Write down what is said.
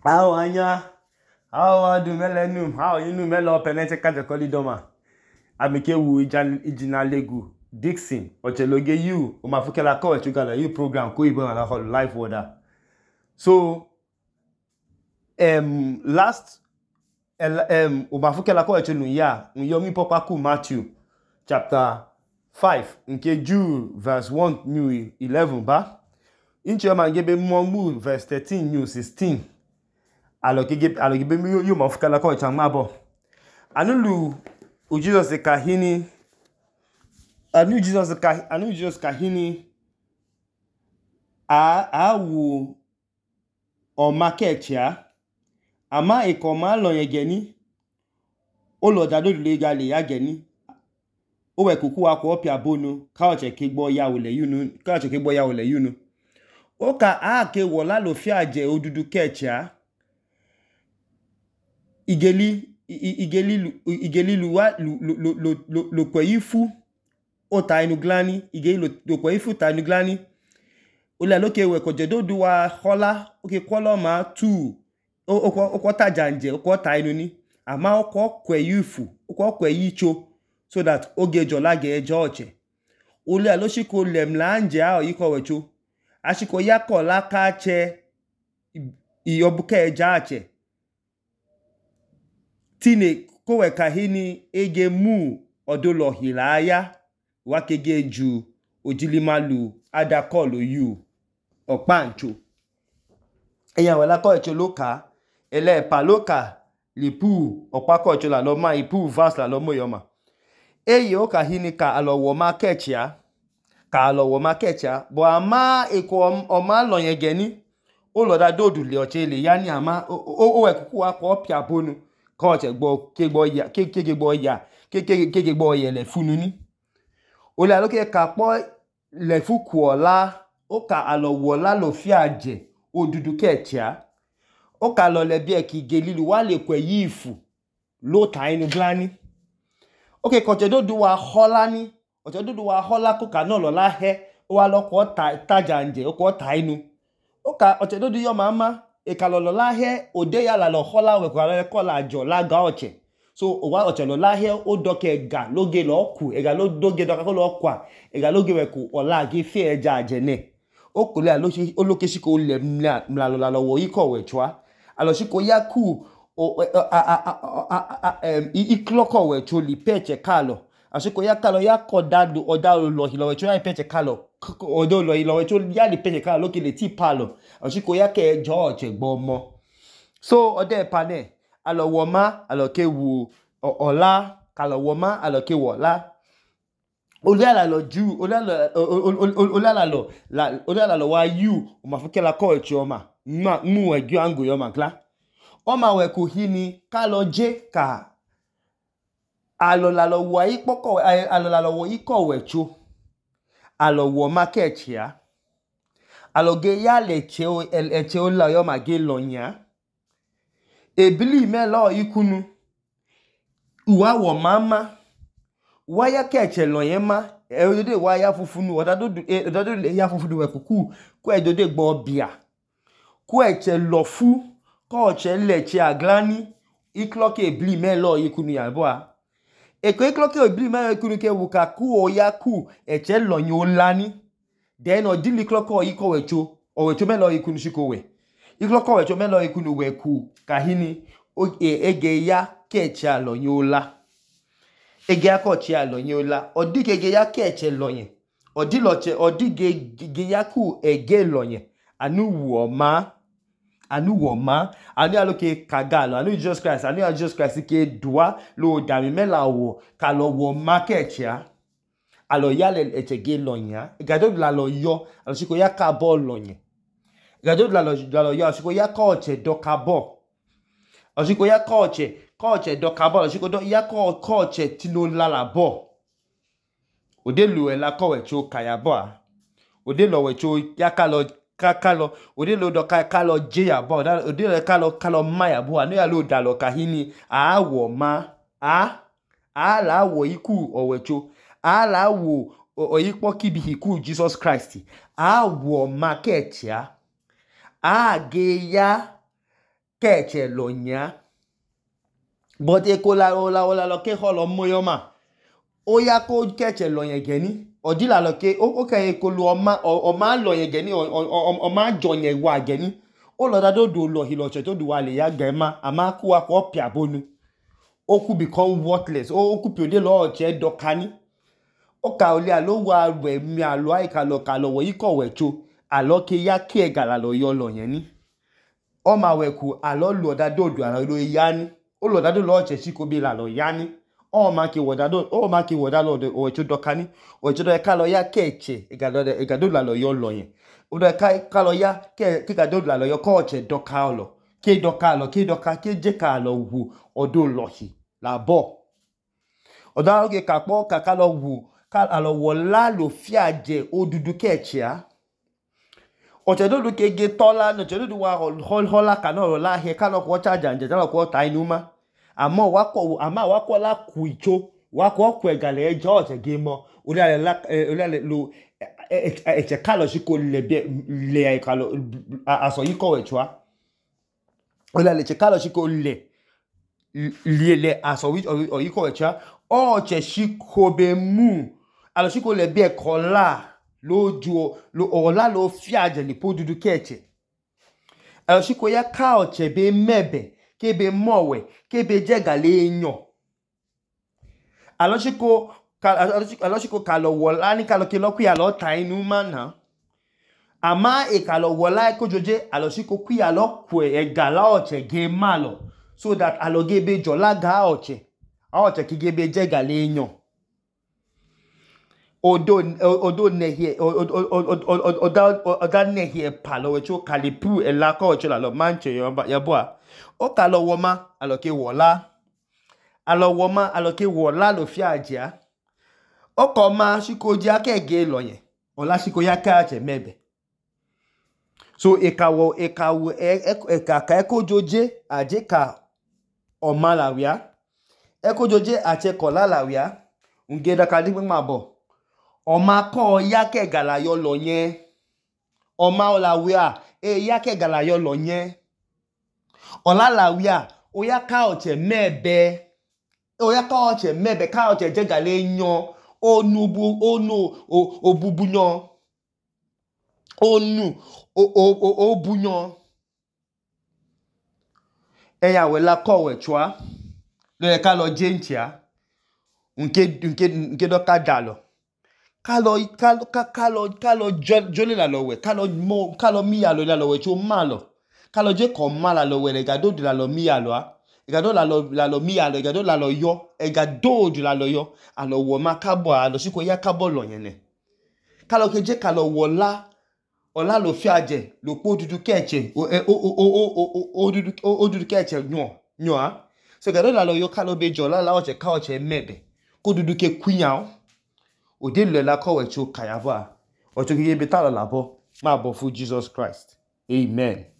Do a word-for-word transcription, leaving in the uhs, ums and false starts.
How anya? How adu melenu? How inu melo penete kaje kolidoma? Amike wu ijina legu Dixon ocheloge you umafukela ko echugala you program ko ibo na live order. So um last um umafukela ko echunu ya unyomi papa ku Matthew chapter five nke Jude verse one new eleven ba. Inchi ma ngebe mo verse thirteen new sixteen. Alogebe alogebe mi yo mafukela ko echama bo. Anulu u Jesus kahini anu Jesus ka anu Jesus kahini a awu o market ya ama ikoma lo yegeni o lo dado legally ya geni o we kuku akọ opia bonu ka o che kegbo ya ole yunu ka o che kegbo ya ole yunu o ka a ke wo la lo fi aje odudu kecha igeli igeli igeli luwa lo lo lo lo kweyifu o ta inu glani igeli lo lo kweyifu ta inu glani o le loke we ko jedo duwa hola o ke kwolo ma two o o ko ta janje o ko ta inu ni ama o ko kweyifu o ko kweyicho so that oge jola ge ejoche o le lo shiko lemla nje a yiko wecho ashiko yako la ka che iyobuke ejache tine kowe kahini ege mu odolo hilaya wakege ju ojilimalu adakolo yu opancho eyan wela ko echo loka ele paloka lipu opako echo la lo ma ipu verse la lo moyoma eye o kahini ka alowo market ya ka alowo market ya bo ama eko o ma lo yen geni o lo da dodu le oche le yani ama o o ekuku akọ pia bonu ko che gbo kegbo ya kekegbo ya kekegbo ye le funu ni o le aloke ka po le fuku ola o ka alowo la lo fi aje odudu kecha o ka lo le bi e ki gelilu wa le kwe yifu lo ta inu glani o ke ko che do du wa hola ni o che do du wa hola ko ka no lo la he o wa lo ko ta taja nje o ko ta inu o ka o che do du yo mama e ka lo lo la he ode ya la lo hola we ko la ko la jo la ga oche so o wa oche lo la he o doke ga loge lo ku e ga lo doge doka ko lo kwa e ga loge we ku ola gi fi eja ajene o ko le alo si o loke si ko le mla lo la lo wo iko we chwa alo si ko ya ku o a a a i kloko we cho li peche kalo asiko ya kalo ya ko dadu oda lo hilo we cho ya peche kalo odo lo hilo we cho ya li peche kalo loke le ti palo asiko ya ke George gbomo so ode pane alo wo ma alo ke wu ola kalo wo ma alo ke wo la Oliala lo ju oliala oliala lo la oliala lo wa you o ma fukela ko echi oma ma mu e gi angu yo ma kla o ma we ku hini ka lo je ka alo la lo wa ipoko alo la lo wo iko wecho alo wo market ya alo ge ya le che o eche o la yo ma ge lo nya ebili me lo ikunu uwa wo mama waya keche lo yen ma e odode waya fufunu odado odado le ya fufunu we kuku ku e dode gbo bia ku eche lo fu ko che le che aglani ikloke ebili me lo ikunu ya bo a e ko ikloke ebili me ikunu ke wuka ku o ya ku eche lo yin o lani then odili kloko iko wecho o wecho me lo ikunu shiko we ikloko wecho me lo ikunu we ku kahini o ege ya keche lo yin o la ege akochi alo yin ola odike ege ya keche lo yin odi lo che odige ge ya ku ege lo yin anu wo ma anu wo ma anu aloke kagalo anu Jesus Christ anu Jesus Christ ke dua lo dami mela wo ka lo wo market ya alo ya le eche ge lo yin igado la lo yo alo siko ya ka bo lo yin igado la lo la lo yo siko ya ko che do ka bo alo siko ya ko che Koche do kabalo shiko do ya ko koche tino lala bo ode lu e la ko wecho kaya bo ode lo wecho ya kalo kakalo ode lo do kakalo je ya bo ode lo kalo kalo maya bo anu ya lo dalo kahini a wo ma a a la wo iku o wecho a la wo oyipo kibi iku Jesus Christ a wo market ya a ge ya keche lo nya but ekola ola ola lo ke holo moyoma oya ko keche lo yen geni odila lo ke o ke ekolu oma oma lo yen geni oma jonye wa geni o lo da do do lo hilo che to do wa le ya gema ama ku wa ko pia bonu o ku become worthless o ku pio de lo che dokani o ka ole alo wa we mi alo ai ka lo ka lo wo iko we cho alo ke ya ke egala lo yo lo yen ni o ma we ku alo lo da do do alo lo ya ni o lo da do lo che si ko bi la lo ya ni o ma ki wo da do o ma ki wo da lo o cho dokani o cho do ka lo ya keche egalo egado la lo yo lo yen o do ka ka lo ya ke ke ga do la lo yo ko che doka lo ke doka lo ke doka ke je ka lo wu odo lo hi la bo oda o ke ka po ka ka lo wu ka alo wo la lo fi aje odudu keche a o che do ke ge tola no che do wa hol hola ka no la he ka no ko charge anje ta ko ta inuma amo wa ko ama wa ko la ku icho wa ko ku egale ejo che ge mo ori ale la ori ale lo e che ka lo si ko le be le ai ka lo aso yi ko we chwa ori ale che ka lo si ko le le le aso wi o yi ko we chwa o che si ko be mu alo si ko le be ko la loju lo ola lo fi aje li po dudu keche alo si ko ya ka o che be mebe kebe mowe kebe jegale enyo alo si ko alo si ko ka lo wola ni ka lo ke lo ku ya lo ta inu ma na ama e ka lo wola ko joje alo si ko ku ya lo ku e gala o che ge ma lo so that alo ge be jola ga o che a o che ki ge be jegale enyo odo odo ne here oda oda ne here palo we cho kalipu e la ko cho la lo manche yo ya boa o ka lo wo ma alo ke wola alo wo ma alo ke wola lo fi aja o ko ma si ko ja ke ge lo yen ola si ko ya ka che mebe so e ka wo e ka wo e ka ka ko joje aje ka o ma la wia e ko joje ache ko la la wia unge da ka di ma bo o ma ko ya ke gala yo lo yen o ma o la wia e ya ke gala yo lo yen ola la wia o ya ka o che mebe o ya ka o che mebe ka o che je gale yan onu bu onu o bubunyan onu o o o bunyan e ya we la ko we chwa lo ye ka lo jentia nke nke nke do ka dalo ka lo ka lo ka lo ka lo jole la lo we ka lo mo ka lo mi ya lo la lo we cho ma lo ka lo je ko ma la lo we le ga do la lo mi ya lo a e ga do la lo la lo mi ya lo e ga do la lo yo e ga do la lo yo a lo wo ma ka bo a lo si ko ya ka bo lo yen ne ka lo ke je ka lo wo la ola lo fi aje lo po dudu keche o o o o dudu o dudu keche nyo nyo a so ga do la lo yo ka lo be jola la o che ka o che mebe ko dudu ke kuyan o de le la ko we cho kayaba o cho ke be ta lo la bo ma bo fu Jesus Christ amen.